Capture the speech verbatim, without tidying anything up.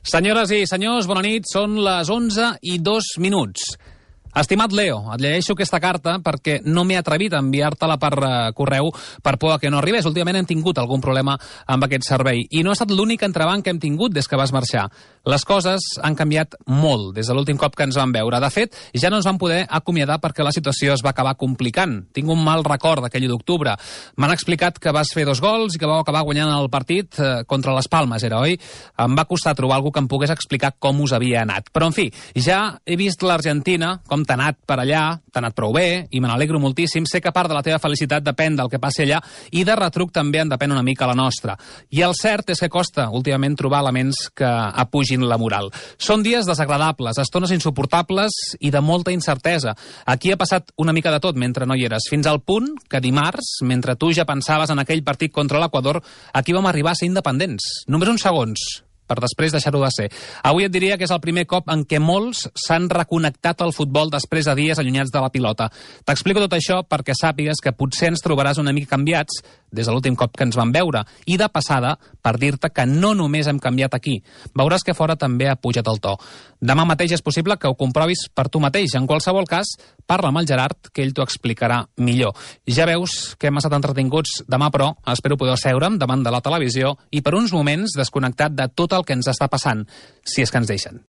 Senyores i senyors, bona nit. Són les onze i dos minuts. Estimat Leo, et llegeixo aquesta carta perquè no m'he atrevit a enviar-te-la per uh, correu per por que no arribés. Últimament hem tingut algun problema amb aquest servei i no ha estat l'únic entrebanc que hem tingut des que vas marxar. Les coses han canviat molt des de l'últim cop que ens vam veure. De fet, ja no ens vam poder acomiadar perquè la situació es va acabar complicant. Tinc un mal record d'aquell u d'octubre. M'han explicat que vas fer dos gols i que vau acabar guanyant el partit eh, contra les Palmes, era, oi? Em va costar trobar algú que em pogués explicar com us havia anat. Però, en fi, ja he vist l'Argentina, com t'ha anat per allà, t'ha anat prou bé, i me n'alegro moltíssim. Sé que part de la teva felicitat depèn del que passi allà, i de retruc també en depèn una mica la nostra. I el cert és que costa, últimament, trobar elements que apugin la moral. Són dies desagradables, estones insuportables i de molta incertesa. Aquí ha passat una mica de tot mentre no hi eres, fins al punt que dimarts, mentre tu ja pensaves en aquell partit contra l'Equador, aquí vam arribar a ser independents. Només uns segons, per després deixar-ho de ser. Avui et diria que és el primer cop en què molts s'han reconnectat al futbol després de dies allunyats de la pilota. T'explico tot això perquè sàpigues que potser ens trobaràs una mica canviats des de l'últim cop que ens vam veure, i de passada per dir-te que no només hem canviat aquí. Veuràs que fora també ha pujat el to. Demà mateix és possible que ho comprovis per tu mateix. En qualsevol cas, parla amb el Gerard, que ell t'ho explicarà millor. Ja veus que hem estat entretinguts demà, però espero poder seure'm davant de la televisió i per uns moments desconnectat de tot el que ens està passant, si és que ens deixen.